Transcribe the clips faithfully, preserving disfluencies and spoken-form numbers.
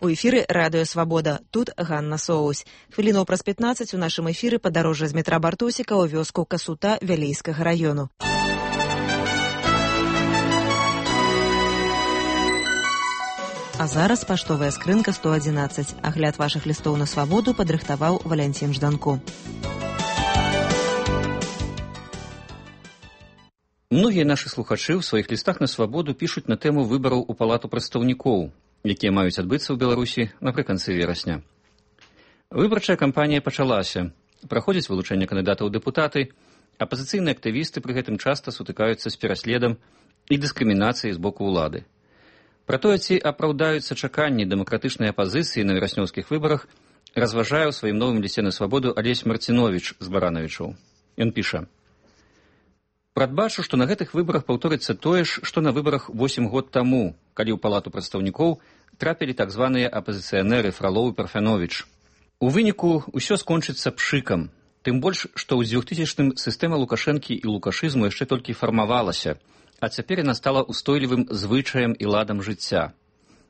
У эфіры радыё Свабода. Тут Ганна Соусь. Хвілінаў праз пятнаццаць у нашым эфіры падарожжа з метра Бартосіка ў вёску Касута Вялейскага раёну. А зараз паштовая скрынка сто адзінаццаць. Агляд вашых лістоў на свабоду падрыхтаваў Валянцін Жданко. Многія нашы слухачы ў сваіх лістах на свабоду пішуць на тэму выбараў у палату прадстаўнікоў, якія маюць адбыцца ў Беларусі напрыканцы верасня. Выбарчая кампанія пачалася. Праходзіць вылучэнне кандыдатаў у дэпутаты, апазіцыйныя актывісты пры гэтым часта сутыкаюцца з пераследам і дыскрымінацыяй з боку ўлады. Пра тое, ці апраўдаюцца чаканні дэмакратычнай апазіцыі на вераснёўскіх выбарах, разважае ў сваім новым лісце на свабоду Алесь Марціновіч з Баранавічаў. Ён піша: «Прадбачу, што на гэтых выбарах паўторыцца тое ж, што на выбарах восем год таму, калі ў палату прадстаўнікоў трапілі так званыя апазіцыянеры Фралоў і Парфяновіч. У выніку ўсё скончыцца пшыкам, тым больш, што ў дзвюхтысячным сістэма Лукашэнкі і лукашызму яшчэ толькі фармавалася, а цяпер яна стала ўстойлівым звычаем і ладам жыцця.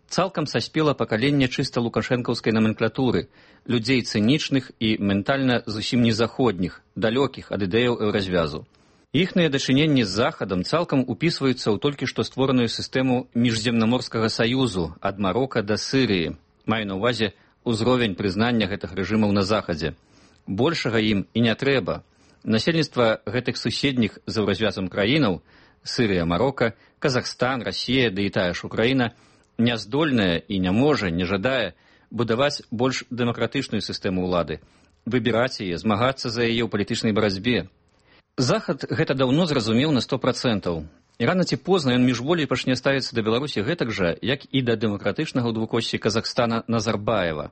Цалкам саспела пакаленне чыста лукашэнкаўскай номенклатуры, людзей цынічных і ментальна зусім незаходніх, далёкіх ад ідэяў еўразвязу. Іхныя дачыненні з Захадам цалкам упісваюцца ў толькі што створаную сістэму міжземнаморскага саюзу ад Марока да Сырыі, маю на ўвазе ўзровень прызнання гэтых рэжымаў на Захадзе. Большага ім і не трэба. Насельніцтва гэтых суседніх з еўразвязам краінаў — Сырыя, Марока, Казахстан, Расія, да і тая ж Украіна — няздольная і не можа, не жадае будаваць больш дэмакратычную сістэму ўлады, выбіраць яе, змагацца за яе ў палітычнай барацьбе. Захад гэта даўно зразумеў на сто працэнтаў. І рана ці позна ён міжволей пачне ставіцца да Беларусі гэтак жа, як і да дэмакратычнага ў двукоссі Казахстана Назарбаева.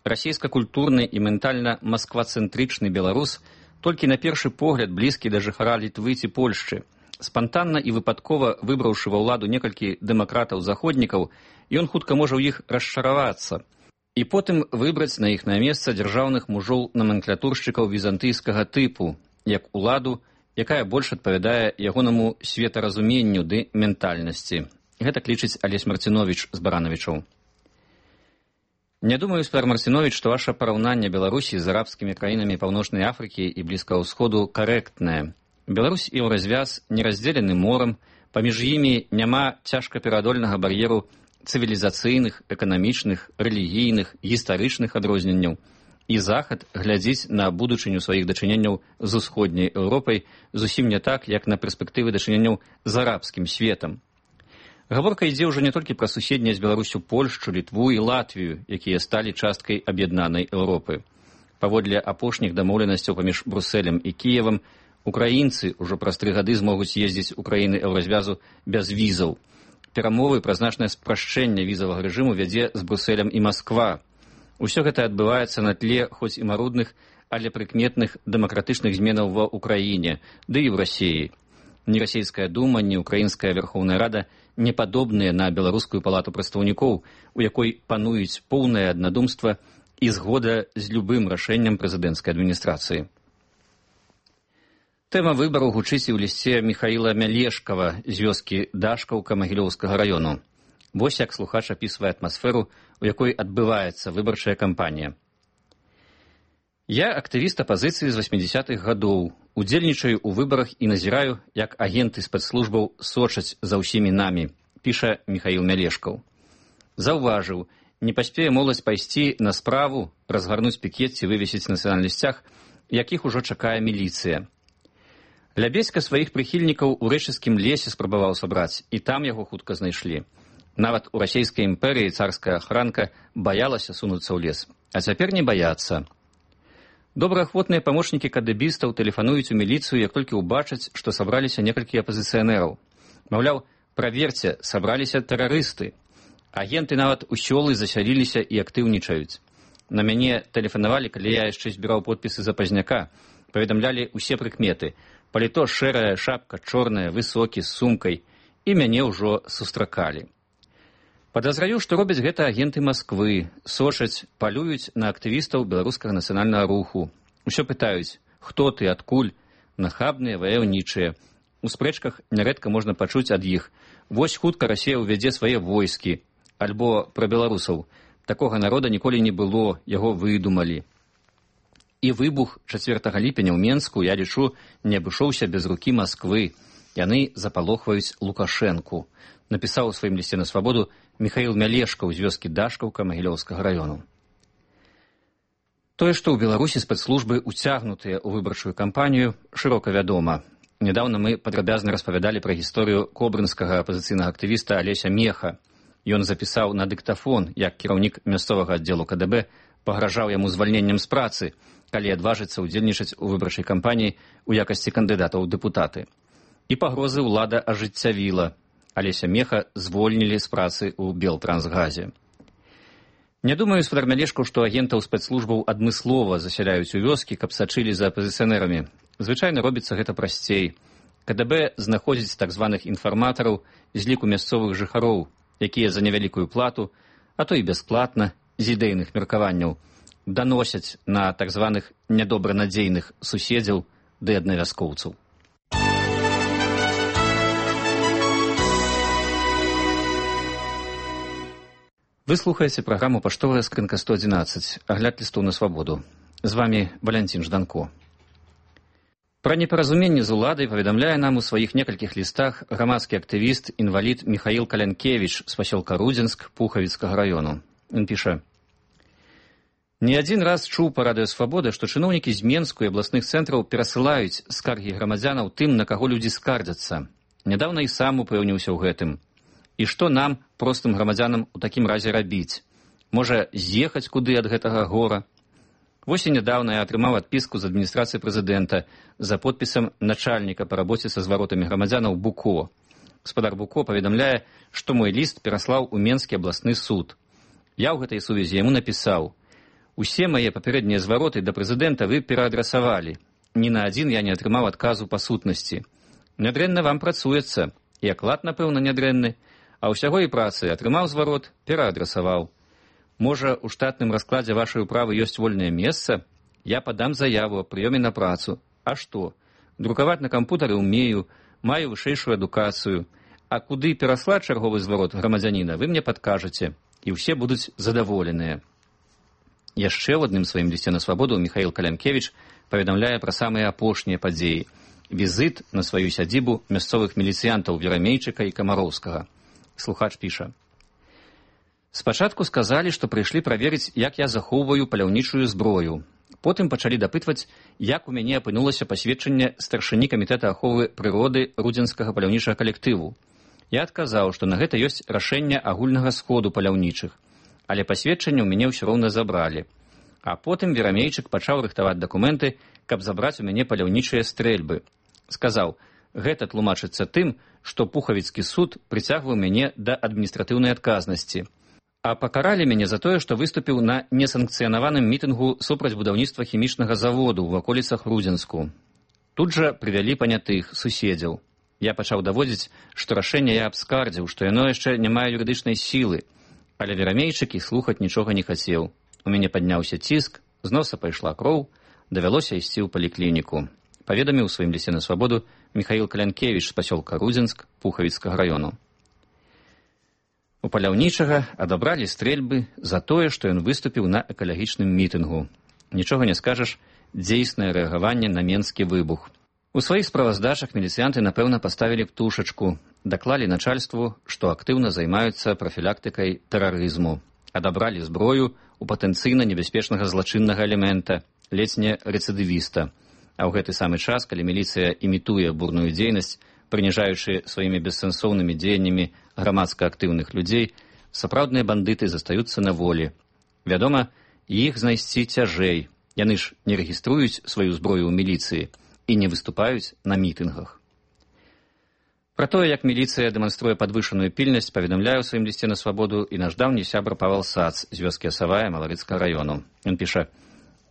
Расійска-культурны і ментальна масквацэнтрычны беларус толькі на першы погляд блізкі да жыхара Літвы ці Польшчы. Спантанна і выпадкова выбраўшы ва ўладу некалькі дэмакратаў-заходнікаў, ён хутка можа ў іх расчаравацца і потым выбраць на іхнае месца дзяржаўных мужоў номенклатуршчыкаў візантыйскага тыпу, як уладу, якая больш адпавядае ягонаму светаразуменню ды ментальнасці. Гэта лічыць Алесь Марціновіч з Баранавічаў. Не думаю, спар Марціновіч, што ваша параўнанне Беларусі з арабскімі краінамі Паўночнай Афрыкі і Блізкага ўсходу карэктнае. Беларусь і еўразвяз не раздзелены морам, паміж імі няма цяжкапераадольнага бар'еру цывілізацыйных, эканамічных, рэлігійных, гістарычных адрозненняў. І Захад глядзіць на будучыню сваіх дачыненняў з усходняй Еўропай зусім не так, як на перспектывы дачыненняў з арабскім светам. Гаворка ідзе ўжо не толькі пра суседнія з Беларусю Польшчу, Літву і Латвію, якія сталі часткай аб'яднанай Еўропы. Паводле апошніх дамоўленасцяў паміж Брусэлем і Кіевам, украінцы ўжо праз тры гады змогуць ездзіць у краіны еўразвязу без візаў. Перамовы пра значнае спрашчэнне візавага рэжыму вядзе з Брусэлем і Масква. Усё гэта адбываецца на тле хоць і марудных, але прыкметных дэмакратычных зменаў ва ўкраіне, ды і ў Расіі. Ні расійская дума, ні украінская Верхоўная Рада не падобныя на беларускую палату прадстаўнікоў, у якой пануюць поўнае аднадумства і згода з любым рашэннем прэзідэнцкай адміністрацыі. Тэма выбараў гучыць і ў лісце Міхаіла Мялешкава з вёскі Дашкаўка Магілёўскага раёну. Вось як слухач апісвае атмасферу, у якой адбываецца выбарчая кампанія. Я актывіст апазіцыі з васьмідзясятых гадоў, удзельнічаю ў выбарах і назіраю, як агенты спецслужбаў сочаць за ўсімі намі, піша Міхаіл Мялешкаў. Заўважыў, не паспее моладзь пайсці на справу, разгарнуць пікет ці вывесіць нацыянальны сцяг, якіх ужо чакае міліцыя. Лябедзька сваіх прыхільнікаў у рэчыцкім лесе спрабаваў сабраць, і там яго хутка знайшлі. Нават у расійскай імперыі царская ахранка баялася сунуцца ў лес, а цяпер не баяцца. Добраахвотныя памочнікі кадэбістаў тэлефануюць у міліцыю, як толькі ўбачаць, што сабраліся некалькі апазіцыянераў. Маўляў, праверце, сабраліся тэрарысты. Агенты нават у сёлы засяліліся і актыўнічаюць. На мяне тэлефанавалі, калі я яшчэ збіраў подпісы за пазняка, паведамлялі ўсе прыкметы. Паліто шэрая, шапка чорная, высокі, з сумкай, і мяне ўжо сустракалі. Падазраю, што робяць гэта агенты Масквы, сочаць, палююць на актывістаў беларускага нацыянальнага руху. Усё пытаюць, хто ты, адкуль, нахабныя, ваяўнічыя. У спрэчках нярэдка можна пачуць ад іх: вось хутка Расія ўвядзе свае войскі, альбо пра беларусаў: Такога народа ніколі не было, яго выдумалі. І выбух чацвёртага ліпеня ў Менску, я лічу, не абышоўся без рукі Масквы. Яны запалохваюць Лукашэнку, напісаў у сваім лісце на свабоду Міхаіл Мялешкаў з вёскі Дашкаўка Магілёўскага раёну. Тое, што ў Беларусі спецслужбы уцягнутыя ў выбарчую кампанію, шырока вядома. Нядаўна мы падрабязна распавядалі пра гісторыю кобрынскага апазіцыйнага актывіста Алеся Меха. Ён запісаў на дыктафон, як кіраўнік мясцовага аддзелу ка дэ бэ пагражаў яму звальненнем з працы, калі адважыцца ўдзельнічаць у выбарчай кампаніі ў якасці кандыдата ў дэпутаты. І пагрозы ўлада ажыццявіла. Алеся Меха звольнілі з працы ў Белтрансгазе. Не думаю, спадар Мялешкаў, што агентаў спецслужбаў адмыслова засяляюць у вёскі, каб сачылі за апазіцыянерамі. Звычайна робіцца гэта прасцей. ка дэ бэ знаходзіць так званых інфарматараў з ліку мясцовых жыхароў, якія за невялікую плату, а то і бясплатна, з ідэйных меркаванняў, даносяць на так званых нядобранадзейных суседзяў ды аднавяскоўцаў. Вы слухаеце праграму «Паштовая скрынка сто адзінаццаць», агляд лістоў на свабоду. З вамі Валянцін Жданко. Пра непаразуменне з уладай паведамляе нам у сваіх некалькіх лістах грамадскі актывіст, інвалід Міхаіл Калянкевіч з пасёлка Рудзенск Пухавіцкага раёну. Ён піша: «Не адзін раз чуў па радыё Свабода, што чыноўнікі з Менску і абласных цэнтраў перасылаюць скаргі грамадзянаў тым, на каго людзі скардзяцца. Нядаўна і сам упэўніўся ў гэтым. І што нам, простым грамадзянам, у такім разе рабіць? Можа, з'ехаць куды ад гэтага гора? Вось і нядаўна я атрымаў адпіску з адміністрацыі прэзідэнта за подпісам начальніка па рабоце са зваротамі грамадзянаў Буко. Гаспадар Буко паведамляе, што мой ліст пераслаў у Менскі абласны суд. Я ў гэтай сувязі яму напісаў: усе мае папярэднія звароты да прэзідэнта вы пераадрасавалі. Ні на адзін я не атрымаў адказу па сутнасці. Нядрэнна вам працуецца, і аклад, напэўна, нядрэнны, а ўсяго і працы атрымаў зварот, пераадрасаваў. Можа, у штатным раскладзе вашай управы ёсць вольнае месца? Я падам заяву аб прыёме на працу. А што? Друкаваць на кампутары ўмею, маю вышэйшую адукацыю. А куды пераслаць чарговы зварот грамадзяніна, вы мне падкажаце, і ўсе будуць задаволеныя». Яшчэ ў адным сваім лісце на свабоду Міхаіл Калянкевіч паведамляе пра самыя апошнія падзеі. Візіт на сваю сядзібу мясцовых міліцыянтаў Верамейчыка і Камароўскага. Слухач піша: «Спачатку сказалі, што прыйшлі праверыць, як я захоўваю паляўнічую зброю. Потым пачалі дапытваць, як у мяне апынулася пасведчанне старшыні камітэта аховы прыроды рудзенскага паляўнічага калектыву. Я адказаў, што на гэта ёсць рашэнне агульнага сходу паляўнічых, але пасведчанне ў мяне ўсё роўна забралі. А потым Верамейчык пачаў рыхтаваць дакументы, каб забраць у мяне паляўнічыя стрэльбы. Сказаў: гэта тлумачыцца тым, што Пухавіцкі суд прыцягваў мяне да адміністратыўнай адказнасці. А пакаралі мяне за тое, што выступіў на несанкцыянаваным мітынгу супраць будаўніцтва хімічнага заводу ў ваколіцах Рудзенску. Тут жа прывялі панятых суседзяў. Я пачаў даводзіць, што рашэнне я абскардзіў, што яно яшчэ не мае юрыдычнай сілы. Але Верамейчык і слухаць нічога не хацеў. У мяне падняўся ціск, з носа пайшла кроў, давялося ісці ў паліклініку. Паведаміў у сваім лісце на свабоду Міхаіл Калянкевіч з пасёлка Рудзенск Пухавіцкага раёну. У паляўнічага адабралі стрэльбы за тое, што ён выступіў на экалагічным мітынгу. Нічога не скажаш, дзейснае рэагаванне на менскі выбух. У сваіх справаздачах міліцыянты, напэўна, паставілі птушачку, даклалі начальству, што актыўна займаюцца прафілактыкай тэрарызму. Адабралі зброю у патэнцыйна небяспечнага злачыннага элемента, ледзь не рэцыдывіста. А ў гэты самы час, калі міліцыя імітуе бурную дзейнасць, прыніжаючы сваімі бессэнсоўнымі дзеяннямі грамадска актыўных людзей, сапраўдныя бандыты застаюцца на волі. Вядома, іх знайсці цяжэй. Яны ж не рэгіструюць сваю зброю ў міліцыі і не выступаюць на мітынгах. Пра тое, як міліцыя дэманструе падвышаную пільнасць, паведамляе ў сваім лісце на свабоду і наш даўні сябра Павел Сац з вёскі Асавая Маларыцкага раёну. Ён піша: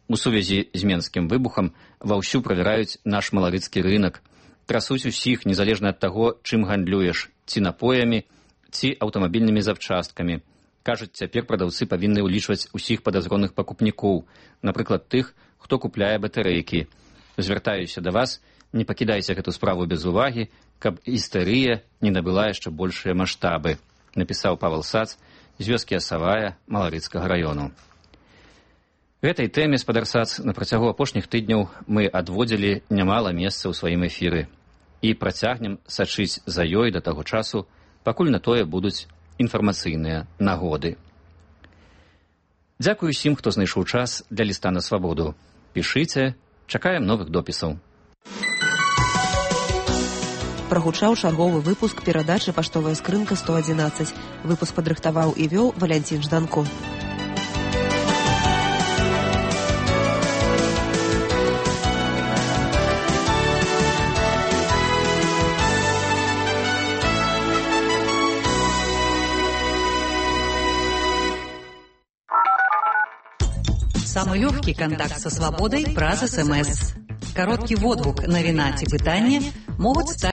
у сувязі з менскім выбухам ваўсю правяраюць наш маларыцкі рынак, трасуць усіх, незалежна ад таго, чым гандлюеш, ці напоямі, ці аўтамабільнымі запчасткамі. Кажуць, цяпер прадаўцы павінны ўлічваць усіх падазроных пакупнікоў, напрыклад, тых, хто купляе батарэйкі. Звяртаюся да вас, не пакідайце гэту справу без увагі, каб істэрыя не набыла яшчэ большыя маштабы, напісаў Павел Сац з вёскі Асавая Маларыцкага раёну. Гэтай тэме спадарсац на працягу апошніх тыдняў мы адводзілі нямала месца ў сваім эфіры і працягнем сачыць за ёй да таго часу, пакуль на тое будуць інфармацыйныя нагоды. Дзякую усім, хто знайшоў час для ліста на свабоду. Пішыце, чакаем новых допісаў. Прагучаў чарговы выпуск перадачы «Паштовая скрынка сто адзінаццаць». Выпуск падрыхтаваў і вёў Валянцін Жданко. Самый легкий контакт со свободой праз СМС. Короткий водгук, навіна ці пытанне могуць стаць